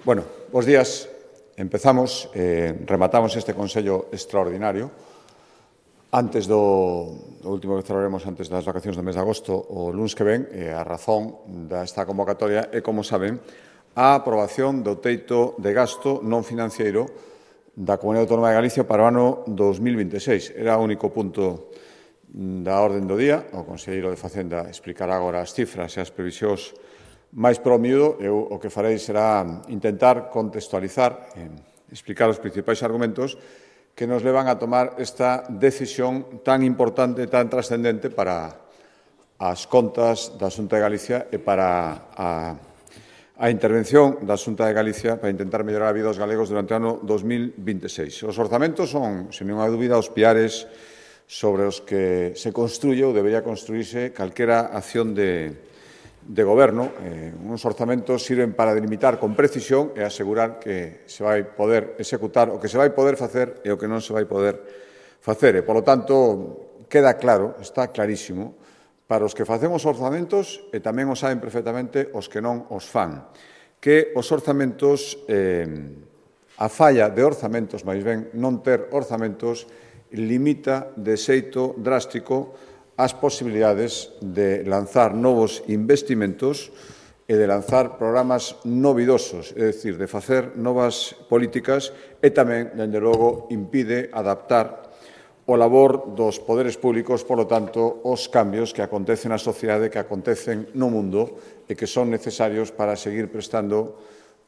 Bueno, bos días. Empezamos, rematamos este Consello extraordinario. Antes do último que celebraremos antes das vacacións do mes de agosto, o luns que ven, a razón desta convocatoria é, como saben, a aprobación do teito de gasto non financiero da Comunidade Autónoma de Galicia para o ano 2026. Era o único punto da orden do día. O Conselleiro de Facenda explicará agora as cifras e as previsións máis pro miúdo. Eu o que farei será intentar contextualizar, explicar os principais argumentos que nos levan a tomar esta decisión tan importante, tan trascendente para as contas da Xunta de Galicia e para a intervención da Xunta de Galicia para intentar mellorar a vida dos galegos durante o ano 2026. Os orzamentos son, sen ninguna dúbida, os piares sobre os que se construye ou debería construirse calquera acción de goberno. Uns orzamentos sirven para delimitar con precisión e asegurar que se vai poder executar o que se vai poder facer e o que non se vai poder facer. E, polo tanto, queda claro, está clarísimo, para os que facemos orzamentos, e tamén o saben perfectamente os que non os fan, que os orzamentos, a falla de orzamentos, máis ben, non ter orzamentos, limita de xeito drástico as posibilidades de lanzar novos investimentos e de lanzar programas novidosos, é dicir, de facer novas políticas e tamén, dende logo, impide adaptar o labor dos poderes públicos, polo tanto, os cambios que acontecen na sociedade, que acontecen no mundo e que son necesarios para seguir prestando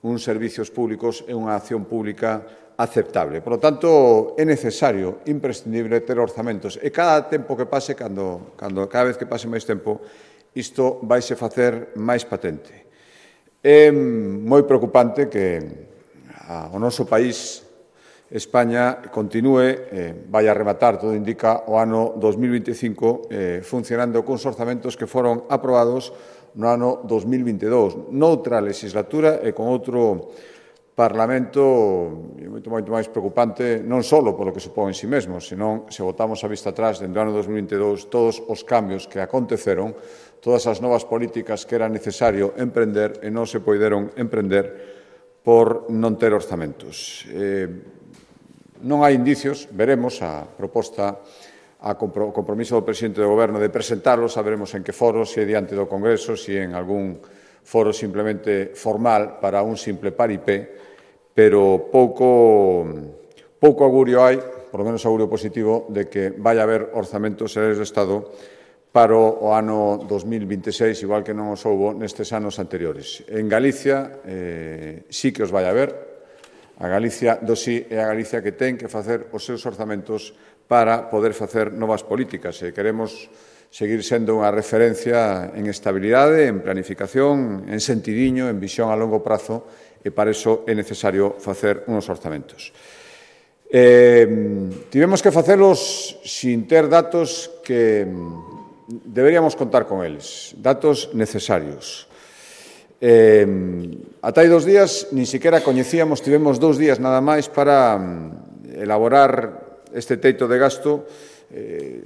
uns servicios públicos e unha acción pública aceptable. Por lo tanto, é necesario, imprescindible, ter orzamentos. E cada tempo que pase, cada vez que pase máis tempo, isto vaise facer máis patente. É moi preocupante que o noso país, España, continúe, vai a rematar, todo indica, o ano 2025 funcionando cuns orzamentos que foron aprobados no ano 2022, noutra legislatura e con outro Parlamento moito máis preocupante, non só polo que supón en si mesmo, senón, se botamos a vista atrás, dentro do ano 2022, todos os cambios que aconteceron, todas as novas políticas que era necesario emprender e non se poideron emprender por non ter orzamentos. Non hai indicios, veremos a proposta, o compromiso do presidente do Goberno de presentarlos, saberemos en que foro, se é diante do Congreso, se en algún foro simplemente formal para un simple paripé, pero pouco augurio hai, por lo menos augurio positivo, de que vai haber orzamentos xerais do Estado para o ano 2026, igual que non os houbo nestes anos anteriores. En Galicia sí que os vai haber. A Galicia do sí é a Galicia que ten que facer os seus orzamentos para poder facer novas políticas. E queremos seguir sendo unha referencia en estabilidade, en planificación, en sentidiño, en visión a longo prazo, e para iso é necesario facer uns orzamentos. Tivemos que facelos sin ter datos que deberíamos contar con eles, datos necesarios. Ata hai 2 días, nin siquiera coñecíamos, tivemos 2 días nada máis para elaborar este teito de gasto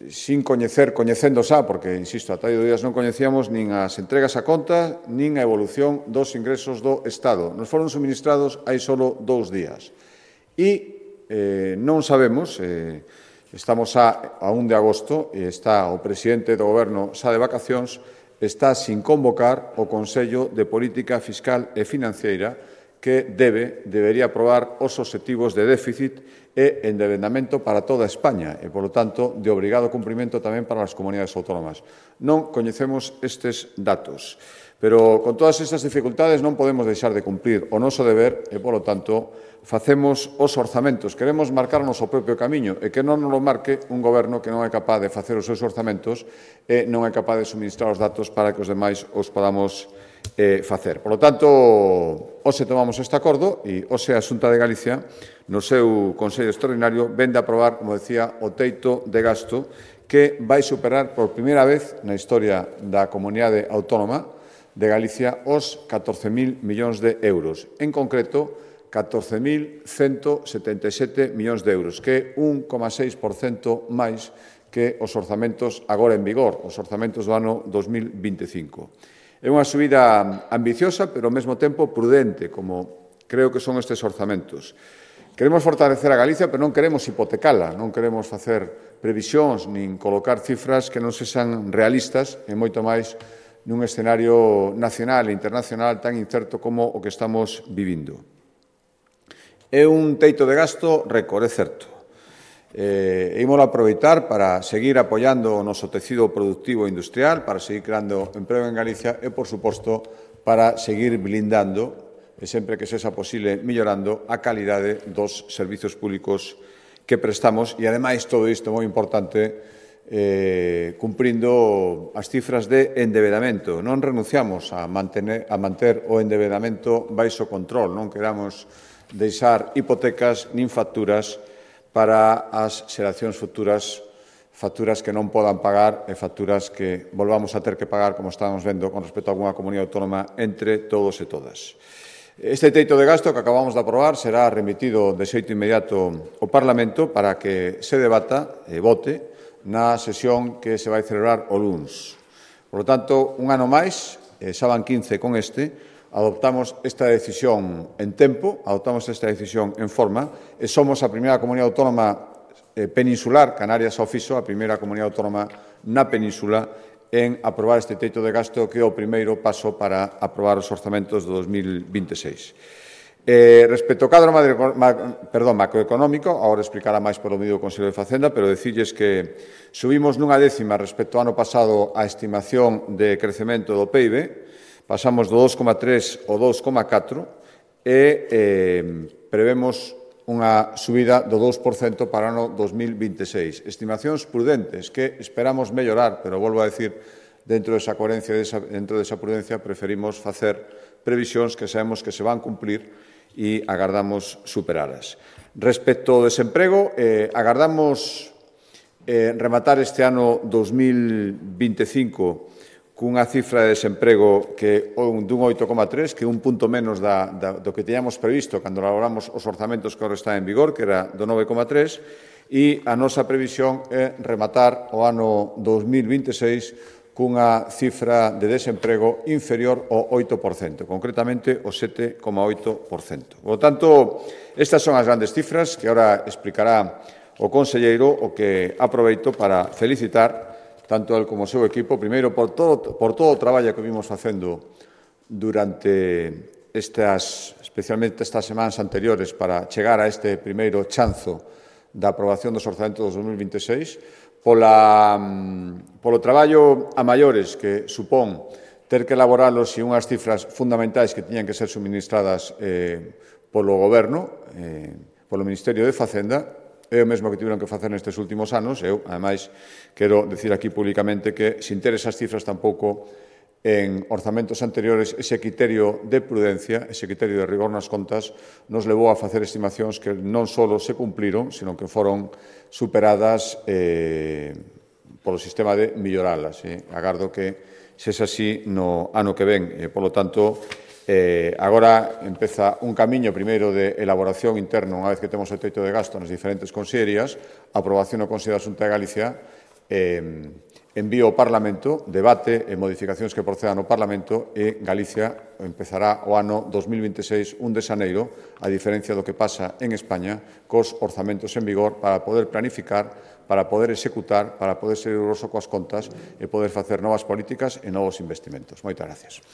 sin coñecendo xa, porque, insisto, ata hai 2 días non coñecíamos nin as entregas a conta, nin a evolución dos ingresos do Estado. Nos foron suministrados hai só 2 días. E non sabemos, estamos a 1 de agosto, e está o presidente do Goberno xa de vacacións, está sin convocar o Consello de Política Fiscal e Financeira que debería aprobar os obxectivos de déficit e endebedamento para toda España e, polo tanto, de obrigado cumprimento tamén para as comunidades autónomas. Non coñecemos estes datos, pero con todas estas dificultades non podemos deixar de cumprir o noso deber e, polo tanto, facemos os orzamentos. Queremos marcarnos o propio camiño e que non nos lo marque un goberno que non é capaz de facer os seus orzamentos e non é capaz de suministrar os datos para que os demais os podamos facer. Por lo tanto, hoxe tomamos este acordo e hoxe a Xunta de Galicia, no seu Consello Extraordinario, vende a aprobar, como decía, o teito de gasto que vai superar por primeira vez na historia da Comunidade Autónoma de Galicia os 14.000 millóns de euros. En concreto, 14.177 millóns de euros, que é 1,6% máis que os orzamentos agora en vigor, os orzamentos do ano 2025. É unha subida ambiciosa, pero ao mesmo tempo prudente, como creo que son estes orzamentos. Queremos fortalecer a Galicia, pero non queremos hipotecala, non queremos facer previsións nin colocar cifras que non sexan realistas e moito máis nun escenario nacional e internacional tan incerto como o que estamos vivindo. É un teito de gasto récord, é certo. Imos aproveitar para seguir apoiando o noso tecido productivo e industrial, para seguir creando emprego en Galicia e, por suposto, para seguir blindando e sempre que sexa posible mellorando a calidade dos servizos públicos que prestamos e, ademais, todo isto moi importante, cumprindo as cifras de endebedamento. Non renunciamos a manter o endebedamento baixo control, non queramos deixar hipotecas nin facturas para as xeracións futuras, facturas que non podan pagar e facturas que volvamos a ter que pagar, como estamos vendo, con respecto a algunha comunidade autónoma entre todos e todas. Este teito de gasto que acabamos de aprobar será remitido de xeito inmediato ao Parlamento para que se debata e vote na sesión que se vai celebrar o luns. Por lo tanto, un ano máis, xa van 15 con adoptamos esta decisión en tempo, adoptamos esta decisión en forma e somos a primeira comunidade autónoma peninsular, Canarias ao fixo, a primeira comunidade autónoma na península en aprobar este teito de gasto que é o primeiro paso para aprobar os orzamentos do 2026. Respecto ao cadro macroeconómico, agora explicará máis polo medio do Consello de Facenda, pero dicirlles que subimos nunha décima respecto ao ano pasado a estimación de crecemento do PIB, pasamos do 2,3 ao 2,4 e prevemos unha subida do 2% para o ano 2026. Estimacións prudentes que esperamos mellorar, pero volvo a decir, dentro desa coherencia, dentro desa prudencia, preferimos facer previsións que sabemos que se van cumplir e agardamos superaras. Respecto ao desemprego, agardamos rematar este ano 2025 cunha cifra de desemprego que dun 8,3, que é un punto menos do que teñamos previsto cando elaboramos os orzamentos que agora está en vigor, que era do 9,3, e a nosa previsión é rematar o ano 2026 cunha cifra de desemprego inferior ao 8%, concretamente o 7,8%. Por lo tanto, estas son as grandes cifras que agora explicará o conselleiro, o que aproveito para felicitar tanto el como o seu equipo, primeiro por todo o traballo que vimos facendo durante especialmente estas semanas anteriores para chegar a este primeiro chanzo da aprobación dos orzamentos dos 2026, polo traballo a maiores que supón ter que elaboralos e unhas cifras fundamentais que tiñan que ser suministradas polo Goberno, polo Ministerio de Facenda. É o mesmo que tiveron que facer nestes últimos anos. Eu, ademais, quero dicir aquí públicamente que, sin ter esas cifras tampouco, en orzamentos anteriores, ese criterio de prudencia, ese criterio de rigor nas contas, nos levou a facer estimacións que non só se cumpliron, sino que foron superadas polo sistema de melloralas. Agardo que sexa así no ano que ven. Por lo tanto, agora empeza un camiño primeiro de elaboración interno, unha vez que temos o teito de gasto nas diferentes consellerías, aprobación no Consello da Xunta de Galicia, envío ao Parlamento, debate e modificacións que procedan ao Parlamento e Galicia empezará o ano 2026, 1 de xaneiro, a diferencia do que pasa en España, cos orzamentos en vigor para poder planificar, para poder executar, para poder ser riguroso coas contas e poder facer novas políticas e novos investimentos. Moitas gracias.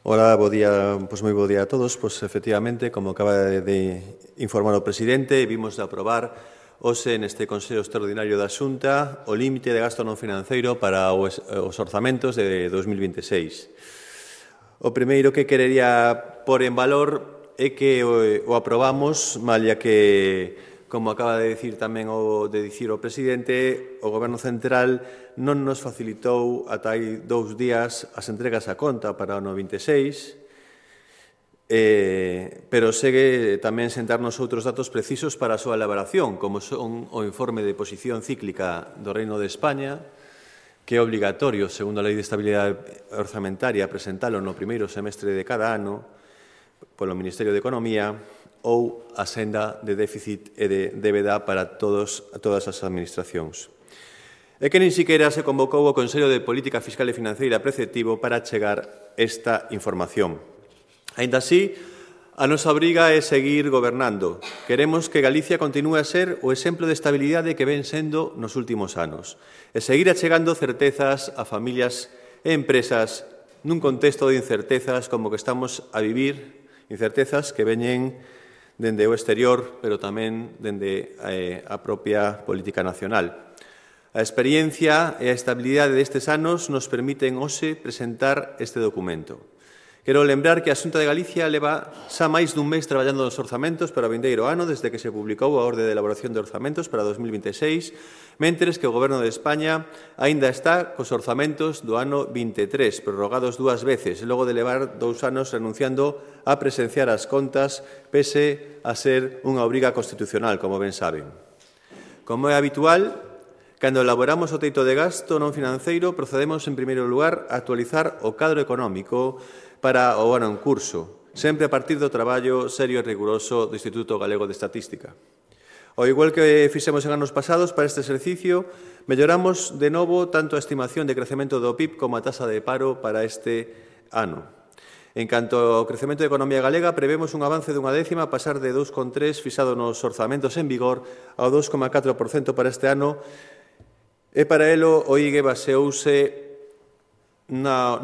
Hola, bo día, moi bo día a todos. Efectivamente, como acaba de informar o presidente, vimos de aprobar hoxe neste Consello Extraordinario da Xunta o límite de gasto non financeiro para os orzamentos de 2026. O primeiro que querería pôr en valor é que o aprobamos, malia que, como acaba de dicir tamén o presidente, o Goberno Central non nos facilitou ata hai 2 días as entregas a conta para o ano 26, pero segue tamén sentarnos outros datos precisos para a súa elaboración, como son o informe de posición cíclica do Reino de España, que é obligatorio, segundo a Lei de Estabilidade Orzamentaria, presentalo no primeiro semestre de cada ano polo Ministerio de Economía, ou a senda de déficit e de débeda para todas as administracións. É que nin siquiera se convocou o Consello de Política Fiscal e Financeira preceptivo para chegar esta información. Aínda así, a nosa obriga é seguir gobernando. Queremos que Galicia continúe a ser o exemplo de estabilidade que ven sendo nos últimos anos e seguir achegando certezas a familias e empresas nun contexto de incertezas como que estamos a vivir, incertezas que veñen dende o exterior, pero tamén dende a propia política nacional. A experiencia e a estabilidade destes anos nos permiten hoxe presentar este documento. Quero lembrar que a Xunta de Galicia leva xa máis dun mes traballando nos orzamentos para o vindeiro ano desde que se publicou a Orde de Elaboración de Orzamentos para 2026, mentres que o Goberno de España aínda está cos orzamentos do ano 23, prorrogados 2 veces, logo de levar 2 anos renunciando a presenciar as contas, pese a ser unha obriga constitucional, como ben saben. Como é habitual, cando elaboramos o teito de gasto non financeiro, procedemos, en primeiro lugar, a actualizar o cadro económico para o ano en curso, sempre a partir do traballo serio e riguroso do Instituto Galego de Estatística. Ao igual que fixemos en anos pasados, para este exercicio, melloramos de novo tanto a estimación de crecemento do PIB como a tasa de paro para este ano. En canto ao crecemento da economía galega, prevemos un avance dunha décima a pasar de 2,3 fixado nos orzamentos en vigor ao 2,4% para este ano, e para elo o IGE baseouse no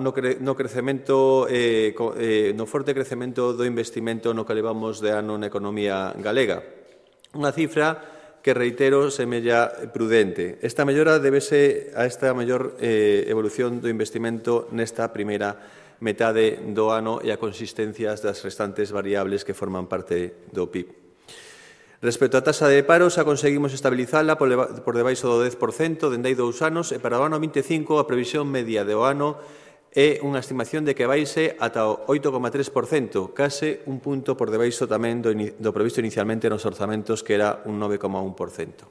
forte crecemento do investimento no que levamos de ano na economía galega. Unha cifra que, reitero, semella prudente. Esta mellora débese a esta maior evolución do investimento nesta primeira metade do ano e a consistencias das restantes variables que forman parte do PIB. Respecto á tasa de paro, xa conseguimos estabilizala por debaixo do 10% dende hai 2 anos e para o ano 25 a previsión media do ano é unha estimación de que vaise ata o 8,3%, case un punto por debaixo tamén do previsto inicialmente nos orzamentos, que era un 9,1%.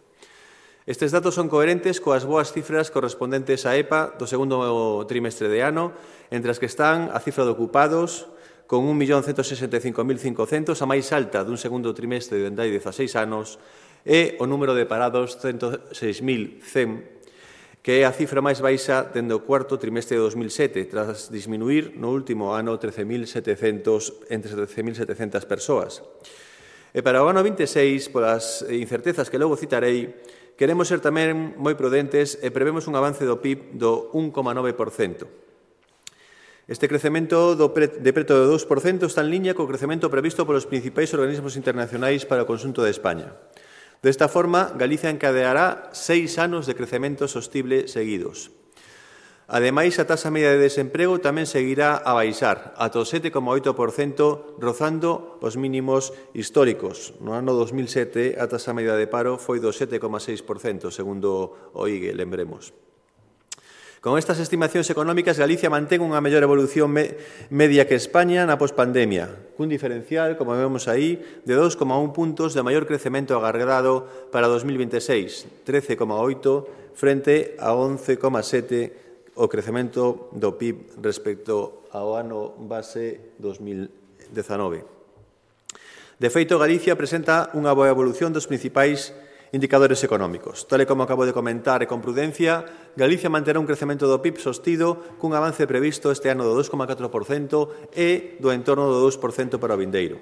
Estes datos son coherentes coas boas cifras correspondentes á EPA do segundo trimestre de ano, entre as que están a cifra de ocupados, con 1.165.500, a máis alta dun segundo trimestre dende hai 16 anos, e o número de parados 106.100, que é a cifra máis baixa dende o cuarto trimestre de 2007, tras disminuir no último ano entre 13.700 persoas. E para o ano 26, polas incertezas que logo citarei, queremos ser tamén moi prudentes e prevemos un avance do PIB do 1,9%. Este crecemento de preto do 2% está en liña co crecemento previsto polos principais organismos internacionais para o conxunto de España. Desta forma, Galicia encadeará 6 anos de crecemento sostible seguidos. Ademais, a taxa media de desemprego tamén seguirá a baixar, ata o 7,8%, rozando os mínimos históricos. No ano 2007, a taxa media de paro foi do 7,6%, segundo o IGE, lembremos. Con estas estimacións económicas, Galicia mantén unha mellor evolución media que España na pospandemia, cun diferencial, como vemos aí, de 2,1 puntos de maior crecemento agardado para 2026, 13,8 frente a 11,7 o crecemento do PIB respecto ao ano base 2019. De feito, Galicia presenta unha boa evolución dos principais indicadores económicos. Tal e como acabo de comentar e con prudencia, Galicia manterá un crecemento do PIB sostido cun avance previsto este ano do 2,4% e do entorno do 2% para o vindeiro.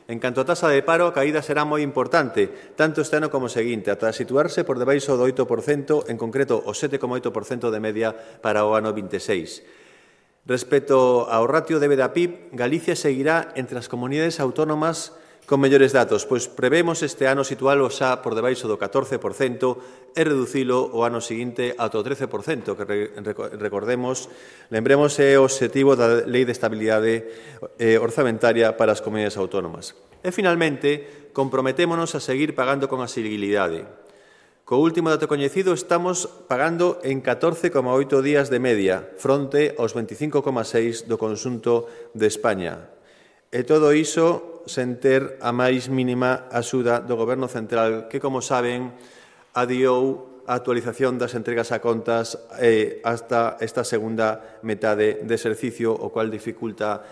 En canto a tasa de paro, a caída será moi importante, tanto este ano como o seguinte, ata situarse por debaixo do 8%, en concreto o 7,8% de media para o ano 26. Respecto ao ratio débeda PIB, Galicia seguirá entre as comunidades autónomas con mellores datos, pois prevemos este ano situalo xa por debaixo do 14% e reducilo o ano seguinte ata o 13%, que recordemos, lembremos é o obxectivo da Lei de Estabilidade Orzamentaria para as comunidades autónomas. E, finalmente, comprometémonos a seguir pagando con asibilidade. Co último dato coñecido, estamos pagando en 14,8 días de media, fronte aos 25,6 do conxunto de España. E todo iso sen ter a máis mínima axuda do Goberno central que, como saben, adiou a actualización das entregas a contas hasta esta segunda metade de exercicio, o cual dificulta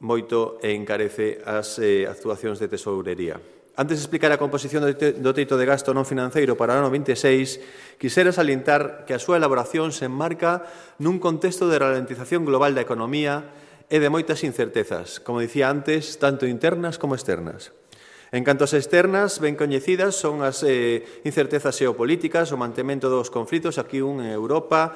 moito e encarece as actuacións de tesourería. Antes de explicar a composición do teito de gasto non financeiro para o ano 26, quixera salientar que a súa elaboración se enmarca nun contexto de ralentización global da economía e de moitas incertezas, como dicía antes, tanto internas como externas. En canto ás externas, ben coñecidas son as incertezas xeopolíticas, o mantemento dos conflitos aquí en Europa,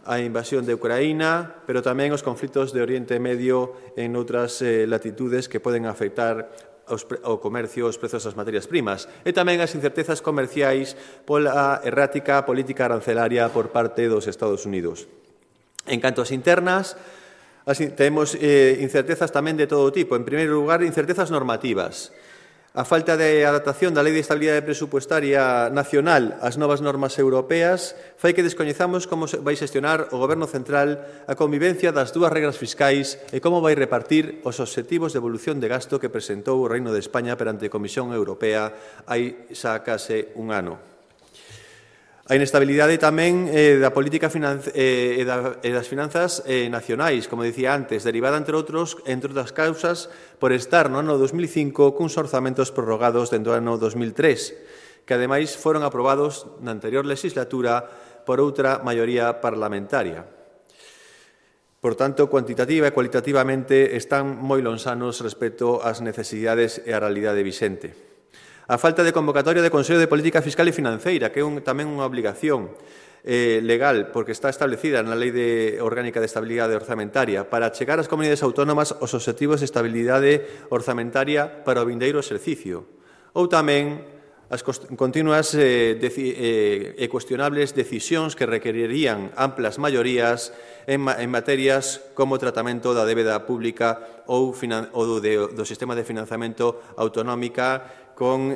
a invasión de Ucraína, pero tamén os conflitos de Oriente Medio en outras latitudes que poden afectar o comercio, os prezos das materias primas, e tamén as incertezas comerciais pola errática política arancelaria por parte dos Estados Unidos. En canto ás internas, temos incertezas tamén de todo tipo. En primeiro lugar, incertezas normativas. A falta de adaptación da Lei de Estabilidade Presupuestaria Nacional ás novas normas europeas fai que descoñezamos como vai xestionar o Goberno Central a convivencia das dúas regras fiscais e como vai repartir os obxectivos de evolución de gasto que presentou o Reino de España perante a Comisión Europea hai xa case un ano. A inestabilidade tamén da política e das finanzas nacionais, como dicía antes, derivada, entre outras causas, por estar no ano 2005 cuns orzamentos prorrogados dentro do ano 2003, que ademais foron aprobados na anterior legislatura por outra maioría parlamentaria. Por tanto, cuantitativa e cualitativamente están moi lonxanos respecto ás necesidades e á realidade vixente. A falta de convocatoria de Consello de Política Fiscal e Financeira, que é tamén unha obligación legal, porque está establecida na Lei Orgánica de Estabilidade Orzamentaria, para chegar ás comunidades autónomas os obxectivos de estabilidade orzamentaria para o vindeiro exercicio. Ou tamén as continuas e cuestionables decisións que requerirían amplas maiorías en materias como o tratamento da débeda pública ou do sistema de financiamento autonómica, con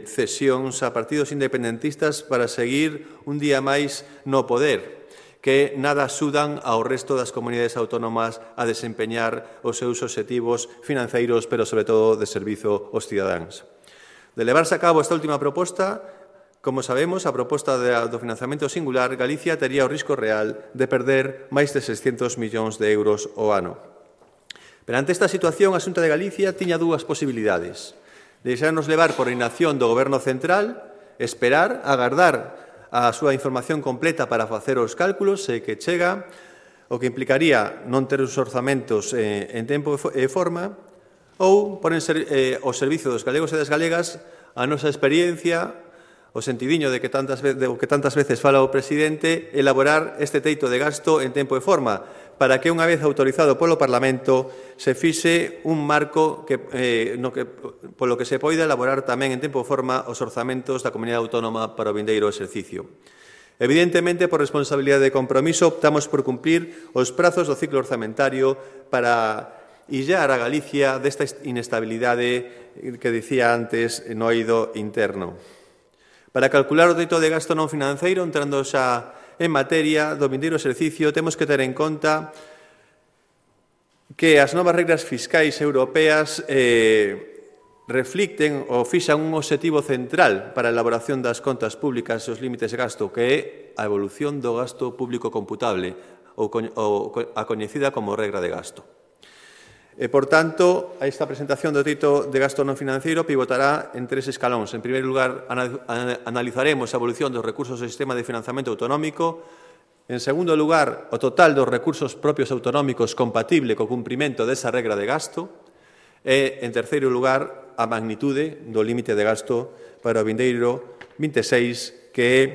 cesións a partidos independentistas para seguir un día máis no poder, que nada axudan ao resto das comunidades autónomas a desempeñar os seus obxectivos financeiros, pero sobre todo de servizo aos cidadáns. De levarse a cabo esta última proposta, como sabemos, a proposta do financiamento singular, Galicia tería o risco real de perder máis de 600 millóns de euros ao ano. Perante esta situación, a Xunta de Galicia tiña dúas posibilidades: deixarnos levar por inacción do Goberno Central, esperar, agardar a súa información completa para facer os cálculos, se que chega, o que implicaría non ter os orzamentos en tempo e forma, ou poner ao servizo dos galegos e das galegas a nosa experiencia, o sentidiño de que tantas veces fala o presidente, elaborar este teito de gasto en tempo e forma, para que, unha vez autorizado polo Parlamento, se fixe un marco polo que se poida elaborar tamén en tempo e forma os orzamentos da Comunidade Autónoma para o vindeiro exercicio. Evidentemente, por responsabilidade de compromiso, optamos por cumprir os prazos do ciclo orzamentario para illar a Galicia desta inestabilidade que dicía antes no eido interno. Para calcular o teito de gasto non financeiro, entrando xa en materia do vindeiro exercicio, temos que ter en conta que as novas regras fiscais europeas reflicten ou fixan un obxectivo central para a elaboración das contas públicas e os límites de gasto, que é a evolución do gasto público computable, ou a coñecida como regra de gasto. Por tanto, esta presentación do teito de gasto non financeiro pivotará en tres escalóns. En primeiro lugar, analizaremos a evolución dos recursos do sistema de financiamento autonómico. En segundo lugar, o total dos recursos propios autonómicos compatible co cumprimento desa regra de gasto. E, en terceiro lugar, a magnitude do límite de gasto para o vindeiro 26, que é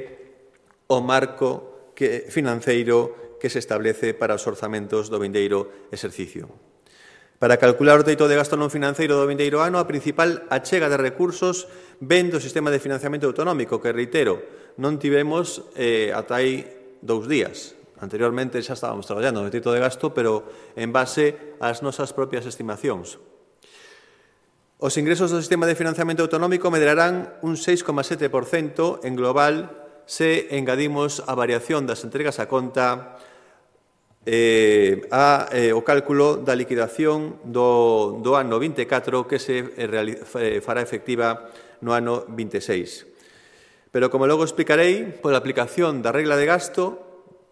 o marco financeiro que se establece para os orzamentos do vindeiro exercicio. Para calcular o teito de gasto non financeiro do vindeiro ano, a principal achega de recursos ven do sistema de financiamento autonómico, que, reitero, non tivemos ata aí 2 días. Anteriormente xa estábamos traballando no teito de gasto, pero en base ás nosas propias estimacións. Os ingresos do sistema de financiamento autonómico medrarán un 6,7% en global se engadimos a variación das entregas a conta o cálculo da liquidación do ano 24 que se fará efectiva no ano 26. Pero, como logo explicarei, pola aplicación da regla de gasto,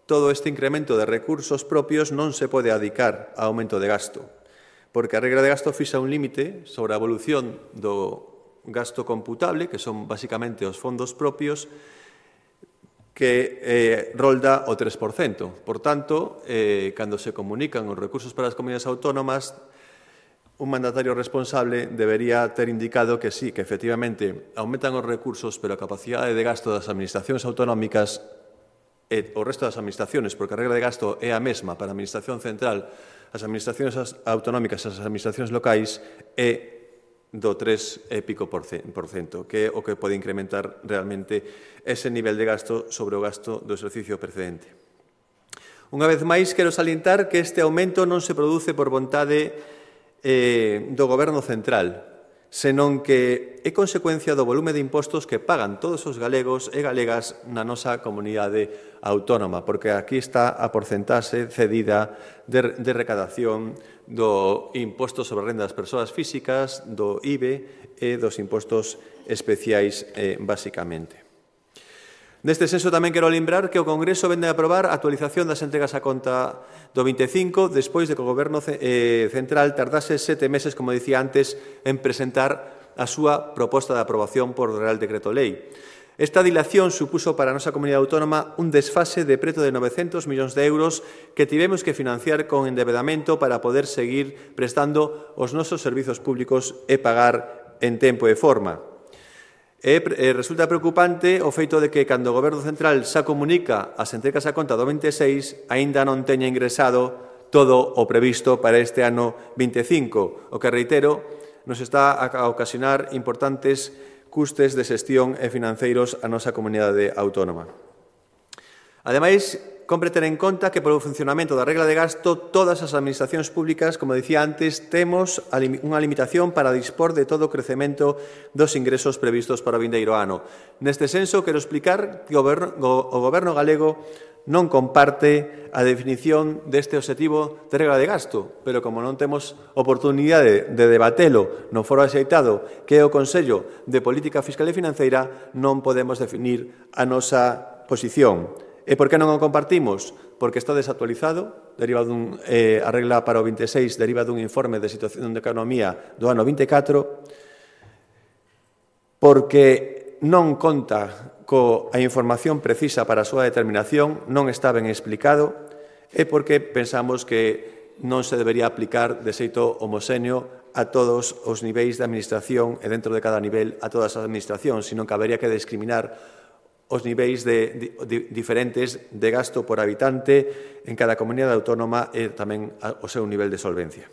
todo este incremento de recursos propios non se pode adicar a aumento de gasto, porque a regla de gasto fixa un límite sobre a evolución do gasto computable, que son basicamente os fondos propios, que rolda o 3%. Por tanto, cando se comunican os recursos para as comunidades autónomas, un mandatario responsable debería ter indicado que sí, que efectivamente aumentan os recursos, pero a capacidade de gasto das administracións autonómicas e o resto das administraciones, porque a regla de gasto é a mesma para a Administración Central, as administracións autonómicas e as administracións locais, é do 3 e pico por cento, que é o que pode incrementar realmente ese nivel de gasto sobre o gasto do exercicio precedente. Unha vez máis, quero salientar que este aumento non se produce por vontade do Goberno central, senón que é consecuencia do volume de impostos que pagan todos os galegos e galegas na nosa comunidade autónoma, porque aquí está a porcentaxe cedida de recadación do imposto sobre renda das persoas físicas, do IBE e dos impostos especiais, basicamente. Neste senso, tamén quero lembrar que o Congreso vende a aprobar a actualización das entregas a conta do 25, despois de que o Goberno central tardase 7 meses, como dicía antes, en presentar a súa proposta de aprobación por Real Decreto Lei. Esta dilación supuso para a nosa comunidade autónoma un desfase de preto de 900 millóns de euros que tivemos que financiar con endevedamento para poder seguir prestando os nosos servizos públicos e pagar en tempo e forma. Resulta preocupante o feito de que, cando o Goberno central xa comunica as entregas a conta do 26, aínda non teña ingresado todo o previsto para este ano 25, o que, reitero, nos está a ocasionar importantes custes de xestión e financeiros a nosa comunidade autónoma. Ademais, compre ter en conta que polo funcionamento da regla de gasto todas as administracións públicas, como dicía antes, temos unha limitación para dispor de todo o crecemento dos ingresos previstos para o vindeiro ano. Neste senso, quero explicar que o Goberno galego non comparte a definición deste obxectivo de regla de gasto, pero como non temos oportunidade de debatelo no foro axeitado que é o Consello de Política Fiscal e Financeira, non podemos definir a nosa posición. E por que non o compartimos? Porque está desactualizado, deriva a regla para o 26 deriva dun informe de situación de economía do ano 24, porque non conta coa información precisa para a súa determinación, non está ben explicado, e porque pensamos que non se debería aplicar de xeito homoxéneo a todos os niveis de administración e dentro de cada nivel a todas as administracións, sino que habería que discriminar os niveis diferentes de gasto por habitante en cada comunidade autónoma e tamén o seu nivel de solvencia.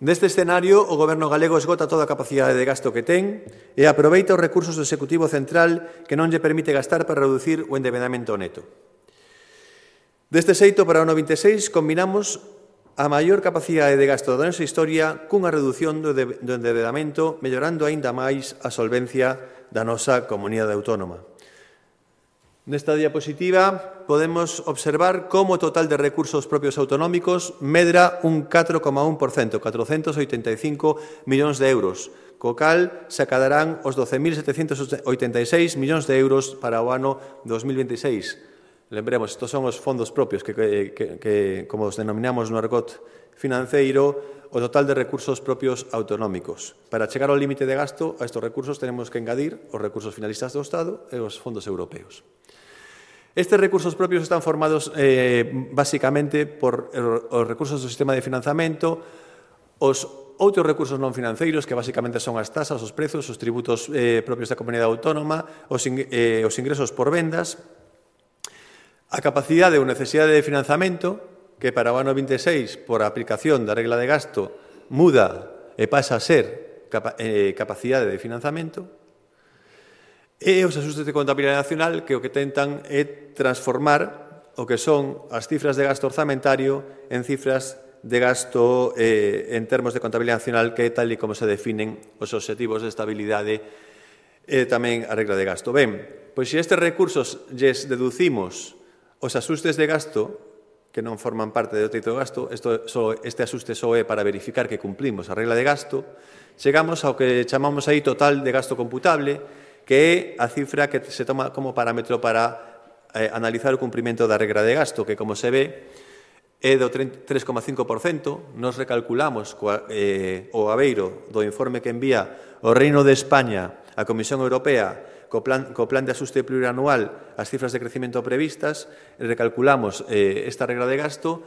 Neste escenario, o Goberno galego esgota toda a capacidade de gasto que ten e aproveita os recursos do Executivo Central que non lle permite gastar para reducir o endevedamento neto. Deste xeito, para o ano 26, combinamos a maior capacidade de gasto da nosa historia cunha reducción do endevedamento, mellorando aínda máis a solvencia da nosa comunidade autónoma. Nesta diapositiva podemos observar como o total de recursos propios autonómicos medra un 4,1%, 485 millóns de euros, co cal se acadarán os 12.786 millóns de euros para o ano 2026. Lembremos, estos son os fondos propios que como os denominamos no argot financeiro, o total de recursos propios autonómicos. Para chegar ao límite de gasto, a estes recursos tenemos que engadir os recursos finalistas do Estado e os fondos europeos. Estes recursos propios están formados basicamente por os recursos do sistema de financiamento, os outros recursos non financeiros, que basicamente son as tasas, os prezos, os tributos propios da comunidade autónoma, os ingresos por vendas, a capacidade ou necesidade de financiamento, que para o ano 26, por a aplicación da regla de gasto, muda e pasa a ser capacidade de financiamento, e os axustes de contabilidade nacional, que o que tentan é transformar o que son as cifras de gasto orzamentario en cifras de gasto en termos de contabilidade nacional, que é tal e como se definen os obxectivos de estabilidade e tamén a regla de gasto. Ben, pois se estes recursos lles deducimos os axustes de gasto que non forman parte do teito de gasto, este axuste só é para verificar que cumplimos a regla de gasto, chegamos ao que chamamos aí total de gasto computable, que é a cifra que se toma como parámetro para analizar o cumprimento da regra de gasto, que, como se ve, é do 3,5%. Nos recalculamos o abeiro do informe que envía o Reino de España á Comisión Europea co plan de axuste plurianual as cifras de crecemento previstas, recalculamos esta regra de gasto,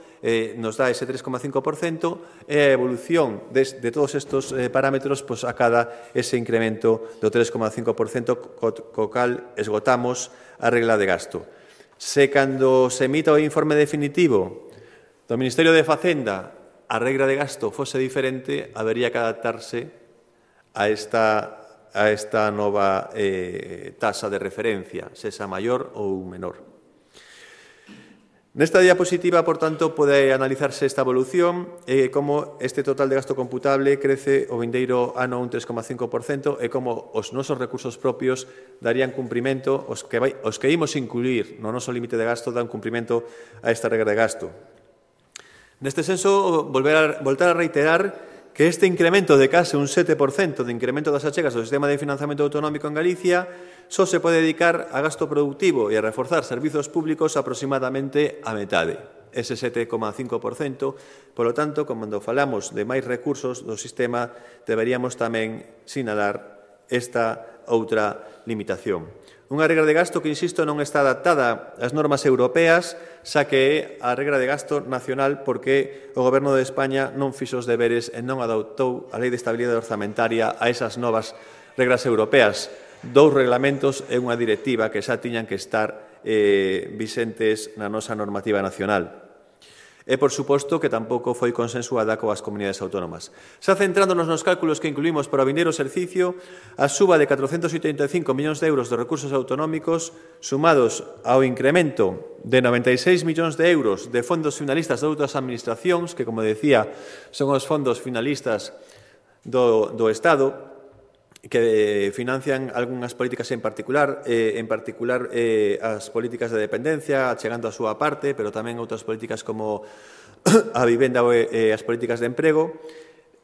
nos dá ese 3,5% e a evolución de todos estes parámetros acada ese incremento do 3,5%, co cal esgotamos a regla de gasto. Se cando se emita o informe definitivo do Ministerio de Facenda a regra de gasto fose diferente, habería que adaptarse a esta nova tasa de referencia, sexa maior ou menor. Nesta diapositiva, por tanto, pode analizarse esta evolución e como este total de gasto computable crece o vindeiro ano un 3,5% e como os nosos recursos propios darían cumprimento, os que imos incluir no noso límite de gasto dan cumprimento a esta regra de gasto. Neste senso, voltar a reiterar que este incremento de case un 7% de incremento das achegas do sistema de financiamento autonómico en Galicia só se pode dedicar a gasto productivo e a reforzar servizos públicos aproximadamente a metade, ese 7,5%. Polo tanto, cando falamos de máis recursos do sistema, deberíamos tamén sinalar esta outra limitación. Unha regra de gasto que, insisto, non está adaptada ás normas europeas, xa que é a regra de gasto nacional porque o Goberno de España non fixo os deberes e non adoptou a Lei de Estabilidade Orzamentaria a esas novas regras europeas. 2 reglamentos e unha directiva que xa tiñan que estar vixentes na nosa normativa nacional. E, por suposto, que tampouco foi consensuada coas comunidades autónomas. Xa centrándonos nos cálculos que incluímos para o vindeiro exercicio, a suba de 485 millóns de euros de recursos autonómicos sumados ao incremento de 96 millóns de euros de fondos finalistas de outras administracións, que, como decía, son os fondos finalistas do Estado, que financian algunhas políticas en particular as políticas de dependencia, chegando a súa parte, pero tamén outras políticas como a vivenda e as políticas de emprego,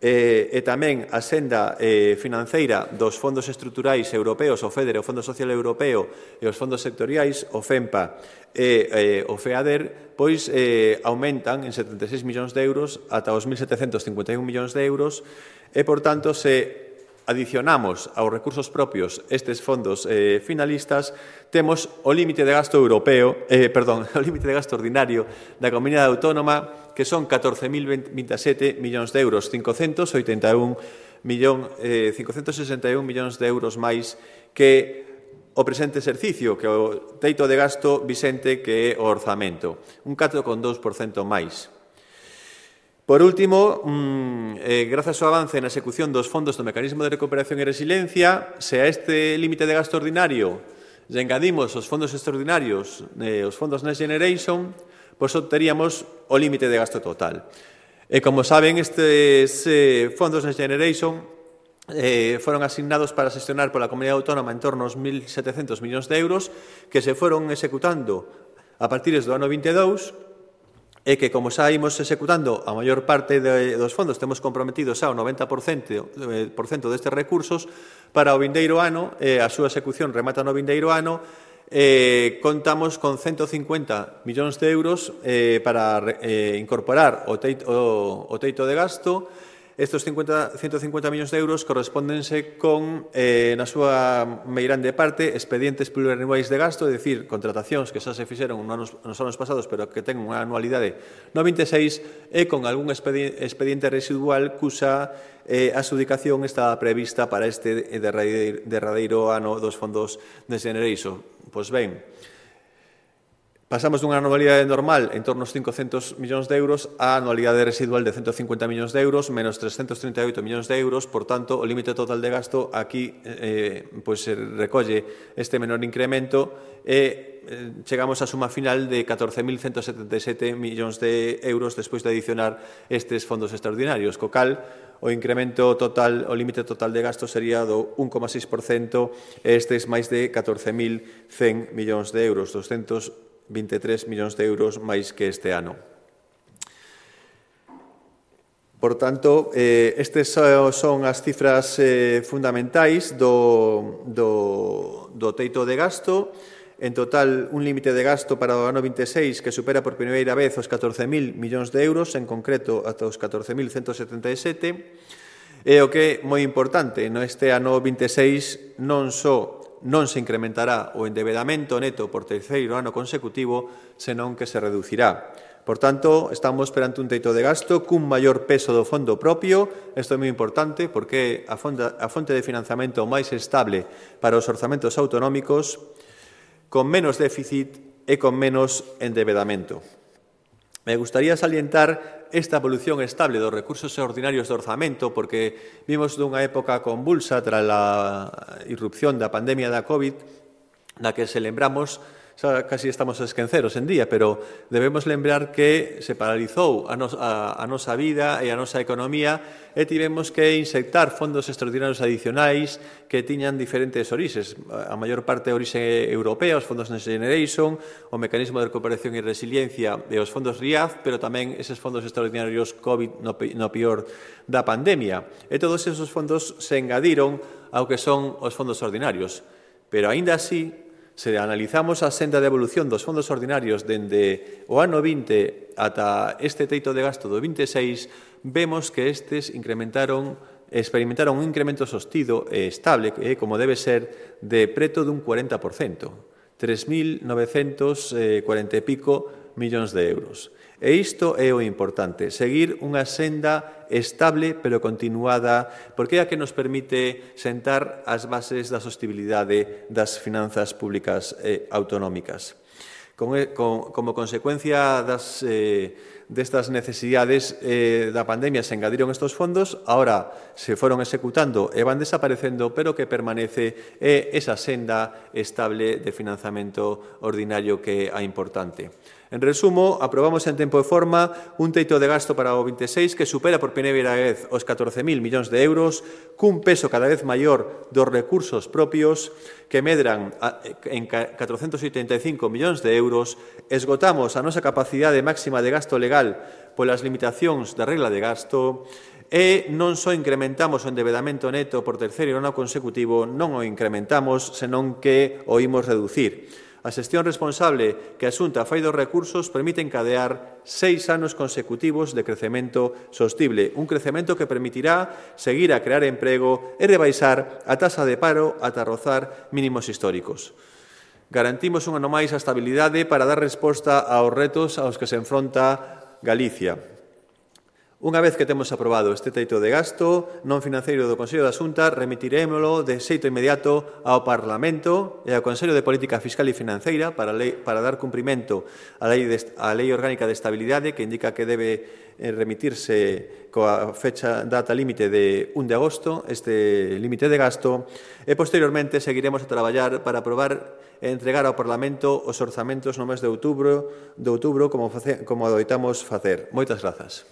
e tamén a senda financeira dos fondos estruturais europeos, o FEDER, o Fondo Social Europeo e os fondos sectoriais, o FEMPA e o FEADER, pois aumentan en 76 millóns de euros ata os 1.751 millóns de euros e, por tanto, se adicionamos aos recursos propios estes fondos finalistas, temos o límite de gasto europeo, o límite de gasto ordinario da comunidade autónoma, que son 14.027 millóns de euros, 561 millóns de euros máis que o presente exercicio, que o teito de gasto vixente, que é o orzamento, un 4,2% máis. Por último, grazas ao avance na execución dos fondos do Mecanismo de Recuperación e Resiliencia, se a este límite de gasto ordinario lle engadimos os fondos extraordinarios, os fondos Next Generation, pois obteríamos o límite de gasto total. E, como saben, estes fondos Next Generation foron asignados para xestionar pola Comunidade Autónoma en torno aos 1.700 millóns de euros que se foron executando a partir do ano 22, e que, como xa imos executando a maior parte dos fondos, temos comprometidos xa o 90% destes recursos para o vindeiro ano, a súa execución remata no vindeiro ano, contamos con 150 millóns de euros para incorporar o teito de gasto. Estes 150 millóns de euros correspóndense con, na súa meirande parte, expedientes plurianuais de gasto, é dicir, contratacións que xa se fixeron nos anos pasados, pero que ten unha anualidade no 26, e con algún expediente residual cuxa adxudicación está prevista para este derradeiro ano dos fondos Next Generation. Pois ben, pasamos dunha anualidade normal en torno aos 500 millóns de euros a anualidade residual de 150 millóns de euros menos 338 millóns de euros. Por tanto, o límite total de gasto aquí se recolle este menor incremento e chegamos á suma final de 14.177 millóns de euros despois de adicionar estes fondos extraordinarios, co cal o incremento total, o límite total de gasto sería do 1,6% e estes máis de 14.100 millóns de euros, 223 millóns de euros máis que este ano. Por tanto, estes son as cifras fundamentais do teito de gasto. En total, un límite de gasto para o ano 26 que supera por primeira vez os 14.000 millóns de euros, en concreto ata os 14.177. E o que é moi importante, neste ano 26 non se incrementará o endebedamento neto por terceiro ano consecutivo, senón que se reducirá. Por tanto, estamos perante un teito de gasto cun maior peso do fondo propio. Isto é moi importante porque é a fonte de financiamento máis estable para os orzamentos autonómicos, con menos déficit e con menos endebedamento. Me gustaría salientar esta evolución estable dos recursos ordinarios do orzamento porque vimos dunha época convulsa tras a irrupción da pandemia da COVID, na que se lembramos, xa casi estamos a esqueceros en día, pero debemos lembrar que se paralizou a nosa vida e a nosa economía e tivemos que inxectar fondos extraordinarios adicionais que tiñan diferentes orixes. A maior parte orixe europea, os fondos Next Generation, o Mecanismo de Recuperación e Resiliencia e os fondos RIAD, pero tamén eses fondos extraordinarios COVID no pior da pandemia. E todos esos fondos se engadiron ao que son os fondos ordinarios. Pero, aínda así, se analizamos a senda de evolución dos fondos ordinarios dende o ano 20 ata este teito de gasto do 26, vemos que estes experimentaron un incremento sostido e estable, como debe ser, de preto dun 40%, 3.940 e pico millóns de euros. E isto é o importante, seguir unha senda estable pero continuada, porque é a que nos permite sentar as bases da sostibilidade das finanzas públicas autonómicas. Como consecuencia destas necesidades da pandemia se engadiron estes fondos, ahora se foron executando e van desaparecendo, pero que permanece esa senda estable de financiamento ordinario que é a importante. En resumo, aprobamos en tempo e forma un teito de gasto para o 26 que supera por primeira vez os 14.000 millóns de euros, cun peso cada vez maior dos recursos propios que medran en 485 millóns de euros, esgotamos a nosa capacidade máxima de gasto legal polas limitacións da regla de gasto e non só incrementamos o endebedamento neto por terceiro ano consecutivo, non o incrementamos, senón que o imos reducir. A xestión responsable que a Xunta fai dos recursos permite encadear 6 anos consecutivos de crecemento sostible, un crecemento que permitirá seguir a crear emprego e rebaixar a taxa de paro ata rozar mínimos históricos. Garantimos un ano máis a estabilidade para dar resposta aos retos aos que se enfronta Galicia. Unha vez que temos aprobado este teito de gasto non financeiro do Consello da Xunta, remitirémolo de xeito inmediato ao Parlamento e ao Consello de Política Fiscal e Financeira para dar cumprimento á Lei Orgánica de Estabilidade, que indica que debe remitirse coa data límite de 1 de agosto, este límite de gasto, e posteriormente seguiremos a traballar para aprobar e entregar ao Parlamento os orzamentos no mes de outubro como adoitamos facer. Moitas grazas.